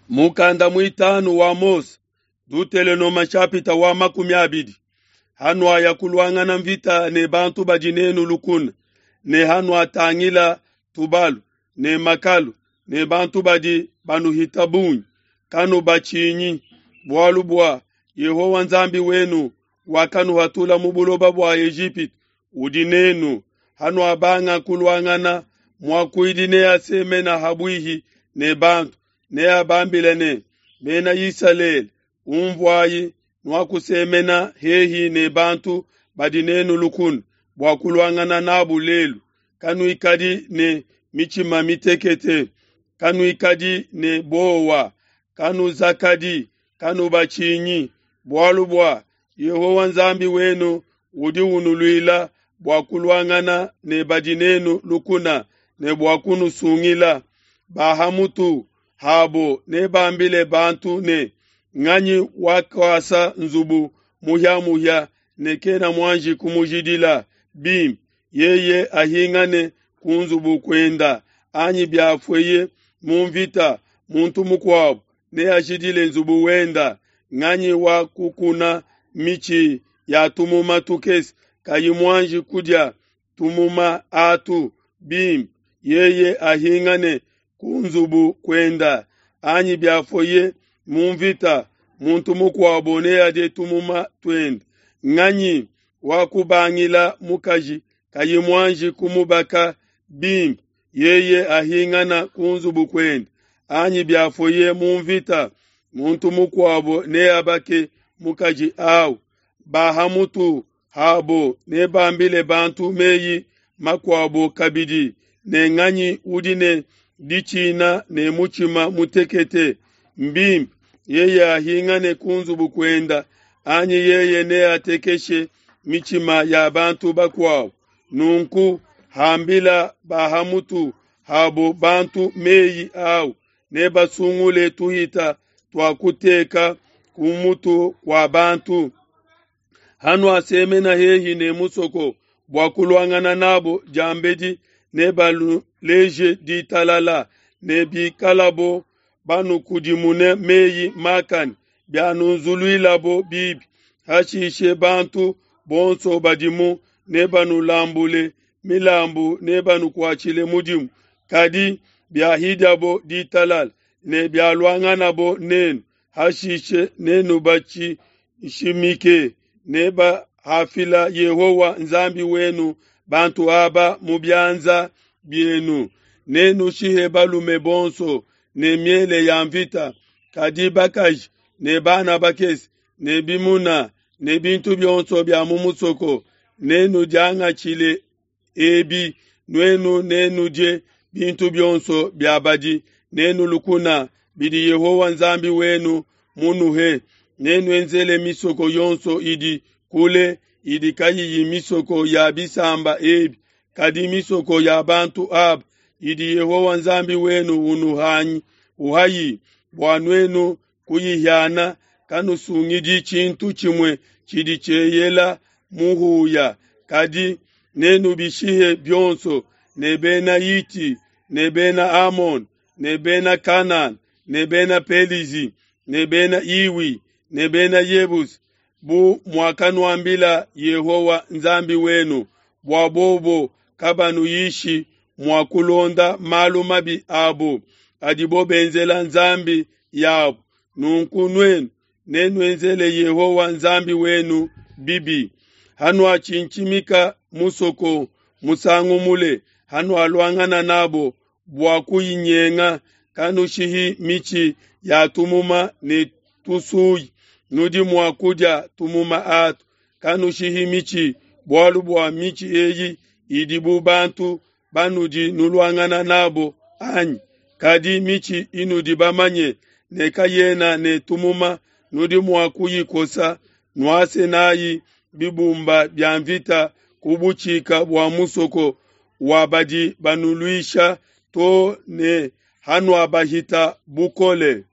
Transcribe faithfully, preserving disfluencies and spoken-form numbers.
Mukanda muitanu wa Mose, Dutelenoma nshapita wa makumi abidi. Hanuaya kuluangana mvita ne bantu badi nenu lukuna, ne hanuatangila tubalu ne makalu ne bantu badi banuhita bungi, kanubatshinyi, bualu bua Yehowa Nzambi wenu wakanuhatula mu buloba bua Ejipitu udi nenu. Hanuabanga kuluangana, muakuidi neasemene ha buihi ne bantu, neabambile ne, Bena Isalele, unvuayi, nuakusemena hehi ne bantu badi nenu lukuna bua kuluangana n'abo lelu. Kanuikadi ne mitshima mitekete, kanuikadi ne buowa, kanuzakadi, kanubatshinyi, bualu bua Yehowa Nzambi wenu udi unuluila bua kuluangana ne badi nenu lukuna ne bua kunusungila. Ba ha mutu habo nebambile bantu ne, Nganyi wakuasa nzubu muhia-muhia ne kena muanji kumujidila bimpe? Yeye ahingane ku nzubu kuenda, anyi biafueye mu nvita, muntu mukuabo neajidile nzubu wenda. Nganyi wakukuna mitshi ya tumuma tukese, kayi muanji kudia tumuma atu bimpe? Yeye ahingane ku nzubu kuenda, anyi biafueye mu nvita, muntu mukuabo neadie tumuma tuende. Nganyi wakubangila mukaji kayi muanji kumubaka bimpe? Yeye ahingane ku nzubu kuende, anyi biafueye mu nvita, muntu mukuabo neabake mukaji au. Ba ha mutu habo nebambile bantu meyi makuabo kabidi ne, Nganyi udi ne ditshina ne mutshima mutekete? Mbimpe yeye ahingane ku nzubu kuenda, anyi yeye neatekeshe mitshima ya bantu bakuabo. Nunku hambila ba ha mutu habo bantu meyi au, nebasungule tuhita tua kuteka ku mutu kua bantu. Hanuasemena hehi ne musoko bua kuluangana n'abo diambedi, nebanuleje ditalala, ne bikalabo banukudimune meyi makane, bianunzuluilabo bibi, hashishe bantu bonso badimu nebanulambule milambu, nebanukuatshile mudimu. Kadi biahidiabo ditalala ne bialuanganabo nenu, hashishe nenubatshintshimike, ne hafila Yehowa Nzambi wenu bantu aba mu bianza bienu, nenushihe balume bonso ne miele ya nvita, kadi bakaji ne bana bakese ne bimuna ne bintu bionso bia mu musoko nenudiangatshile ebi, nuenu nenudie bintu bionso bia badi nenu lukuna bidi Yehowa Nzambi wenu munuhe. Nenuenzele misoko yonso idi kule idi kayiyi misoko ya bisamba ebi, kadi misoko ya bantu aba idi Yehowa Nzambi wenu unuhanyi uhayi bua nuenu kuyihiana. Kanusungidi tshintu tshimue tshidi tshieyela muhuya, kadi nenubishihe bionso, ne Bena Hiti ne Bena Amole ne Bena Kanana ne Bena Pelizi ne Bena Hiwi ne Bena Yebusi, bu muakanuambila Yehowa Nzambi wenu, bua bobo kabanuyishi mua kulonda malu mabi abo adibo benzela nzambi yabo. Nunku nuenu nenuenzele Yehowa Nzambi wenu bibi. Hanuatshintshimika musoko musangu mule, hanualuangana n'abo bua kuyinyenga, kanushihi mitshi ya tumuma ne tusuyi, nudi mua kudia tumuma atu. Kanushihi mitshi, bualu bua mitshi eyi idi bu bantu banudi nuluangana n'abo anyi? Kadi mitshi inudi bamanye ne kayena ne tumuma, nudi mua kuyikosa, nuase n'ai bibumba bia nvita ku butshika bua musoko wa badi banuluisha to ne hanuabahita bukole.